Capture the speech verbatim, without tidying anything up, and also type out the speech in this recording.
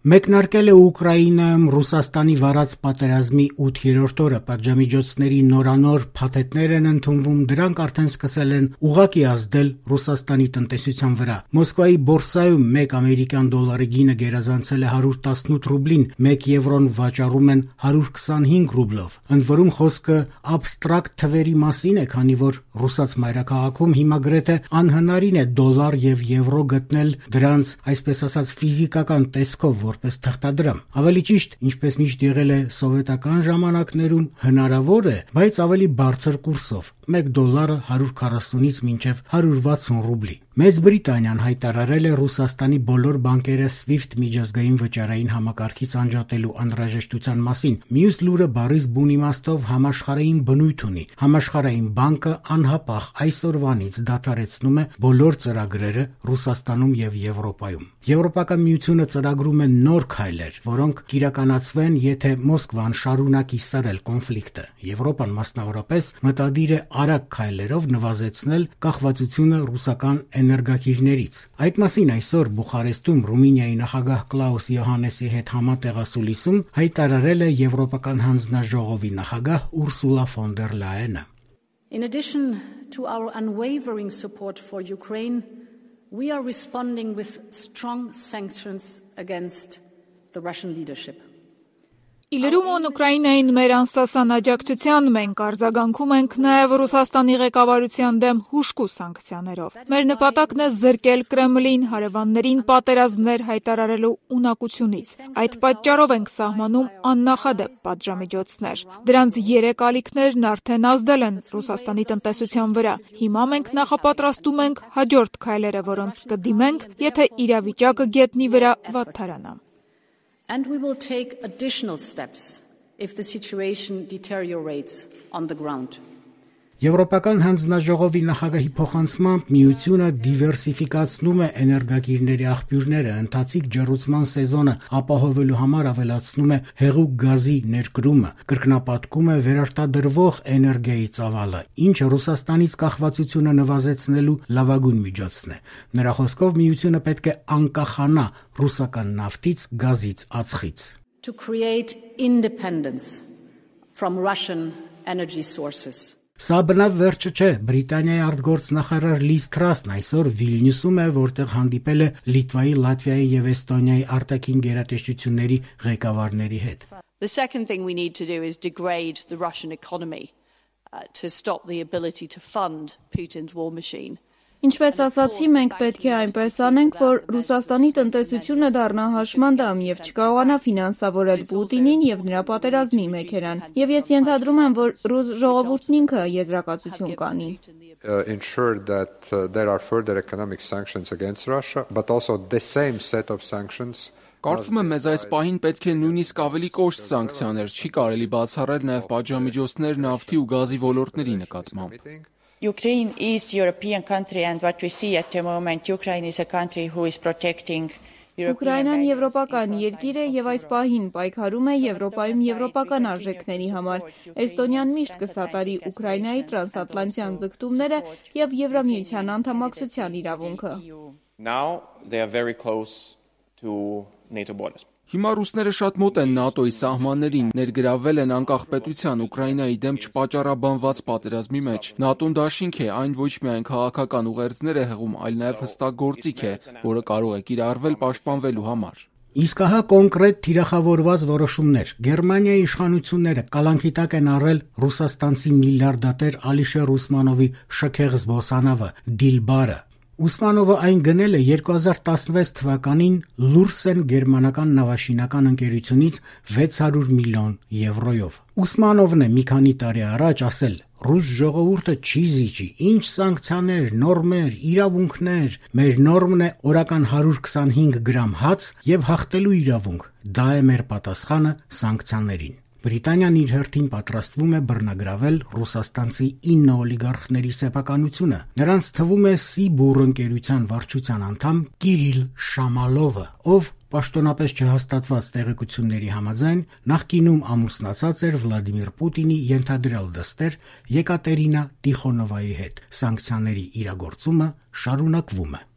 Մեկնարկել է Ուկրաինայում Ռուսաստանի վարած պատերազմի ութերորդ օրը, պատժամիջոցների նորանոր փաթեթներ են ընդունվում, դրանք արդեն սկսել են ուղղակի ազդել Ռուսաստանի տնտեսության վրա։ Մոսկվայի բորսայում մեկ ամերիկյան դոլարի գինը գերազանցել է հարյուր տասնութ ռուբլին, մեկ եվրոն վաճառում են հարյուր քսանհինգ ռուբլով։ Ընդ որում խոսքը աբստրակտ թվերի մասին է, քանի որ ռուսաց մայրաքաղաքում հիմա գրեթե անհնարին է դոլար եւ եվրո գտնել դրանց, այսպես ասած, ֆիզիկական տեսքով, որպես թղթադրամ։ Ավելի ճիշտ, ինչպես միշտ եղել է սովետական ժամանակներում, հնարավոր է, բայց ավելի բարձր կուրսով՝ մեկ դոլարը հարյուր քառասունից մինչև հարյուր վաթսուն ռուբլի։ Մեծ Բրիտանիան հայտարարել է Ռուսաստանի բոլոր բանկերը SWIFT միջազգային վճարային համակարգից անջատելու անհրաժեշտության մասին։ Մյուս լուրը բառից բուն իմաստով համաշխարհային բնույթ ունի։ Համաշխարհային բանկը անհապաղ այսօրվանից դադարեցնում է բոլոր ծրագրերը Ռուսաստանում եւ Եվրոպայում։ Եվրոպական միությունը ծրագրում է նոր քայլեր, որոնք կիրականացվեն, եթե Մոսկվան շարունակի սրել կոնֆլիկտը։ Եվրոպան մասնավորապես մտադիր է արագ քայլերով նվազեցնել կախվածությունը ռուսական էներգակիրներից։ Այդ մասին այսօր Բուխարեստում Ռումինիայի նախագահ Կլաուս Յոհաննեսի հետ համատեղ ասուլիսում հայտարարել է Եվրոպական հանձնաժողովի նախագահ Ուրսուլա ֆոն դեր Լայենը։ In addition to our unwavering support for Ukraine, we are responding with strong sanctions against the Russian leadership. Իլրումոն Ուկրաինային մեր անսասան աջակցության մենք արձագանքում ենք նաև Ռուսաստանի ղեկավարության դեմ հուժկու սանկցիաներով։ Մեր նպատակն է զրկել Կրեմլին հարևաններին պատերազմներ հայտարարելու ունակությունից։ Այդ պատճառով ենք սահմանում աննախադեպ պատժամիջոցներ։ Դրանց երեք ալիքներն արդեն ազդել են Ռուսաստանի տնտեսության վրա։ Հիմա մենք նախապատրաստում ենք հաջորդ քայլերը, որոնց կդիմենք, եթե իրավիճակը գետնի վրա վատթարանա։ And we will take additional steps if the situation deteriorates on the ground. Եվրոպական հանձնաժողովի նախագահի փոխանցմամբ միությունը դիվերսիֆիկացնում է էներգակիրների աղբյուրները, ընթացիկ ջեռուցման սեզոնը ապահովելու համար ավելացնում է հեղուկ գազի ներկրումը, կրկնապատկում է վերարտադրվող էներգիայի ծավալը, ինչը Ռուսաստանից կախվածությունը նվազեցնելու լավագույն միջոցն է։ Նրա խոսքով միությունը պետք է անկախանա ռուսական նավթից, գազից, ածխից։ To create independence from Russian energy sources. Սա բնավ վերջը չէ։ Բրիտանիայի արտգործնախարար Լիզ Թրասն այսօր Վիլնյուսում է, որտեղ հանդիպել է Լիտվայի, Լատվիայի եւ Էստոնիայի արտաքին գերատեսչությունների ղեկավարների հետ։ The second thing we need to do is degrade the Russian economy uh, to stop the ability to fund Putin's war machine. Ինչպես ասացի, մենք պետք է այնպես անենք, որ Ռուսաստանի տնտեսությունը դառնա հաշմանդամ եւ չկարողանա ֆինանսավորել Պուտինին եւ նրա պատերազմի մեքենան։ Եվ ես ենթադրում եմ, որ ռուս ժողովուրդն ինքը եզրակացություն կանի։ Ensure that uh, there are further economic sanctions against Russia, but also the same set of sanctions. Կարծում եմ, մեզ այս պահին պետք է նույնիսկ ավելի կոշտ սանկցիաներ, չի կարելի բացառել նաև պատժամիջոցներ նավթի ու գազի ոլորտների նկատմամբ։ Ukraine is a European country and what we see at the moment, Ukraine is a country who is protecting Ուկրաինան եվրոպական երկիր է եւ այս պահին պայքարում է Եվրոպայում եվրոպական արժեքների համար։ Էստոնիան միշտ կսատարի Ուկրաինայի տրանսատլանտյան ձգտումները եւ Եվրամիության անդամակցության իրավունքը։ Now they are very close to NATO borders. Հիմա ռուսները շատ մոտ են ՆԱՏՕ-ի սահմաններին, ներգրավվել են անկախ պետության Ուկրաինայի դեմ չպատճառաբանված պատերազմի մեջ։ ՆԱՏՕ-ն դաշինք է, այն ոչ միայն քաղաքական ուղերձներ է հղում, այլ նաև հստակ գործիք է, որը կարող է կիրառվել պաշտպանվելու համար։ Իսկ ահա կոնկրետ թիրախավորված որոշումներ։ Գերմանիայի իշխանությունները կալանքի տակ են առել ռուսաստանցի միլիարդատեր Ալիշեր Ուսմանովի շքեղ զբոսանավը Դիլբարը։ Ուսմանովը այն գնել է երկու հազար տասնվեց թվականին Լուրսեն գերմանական նավաշինական ընկերությունից վեց հարյուր միլիոն եվրոյով։ Ուսմանովն է մի քանի տարի առաջ ասել. «Ռուս ժողովուրդը չի զիջի, ինչ սանկցիաներ, նորմեր, իրավունքներ, մեր նորմն է օրական հարյուր քսանհինգ գրամ հաց եւ հաղթելու իրավունք։ Դա է մեր պատասխանը սանկցիաներին»։ Բրիտանիան իր հերթին պատրաստվում է բռնագրավել ռուսաստանցի ինը օլիգարխների սեփականությունը։ Նրանց թվում է Սիբուր ընկերության վարչության անդամ Կիրիլ Շամալովը, ով պաշտոնապես չհաստատված տեղեկությունների համաձայն նախկինում ամուսնացած էր Վլադիմիր Պուտինի ենթադրյալ դստեր Եկատերինա Տիխոնովայի հետ։ Սանկցիաների իրագործումը շարունակվում է։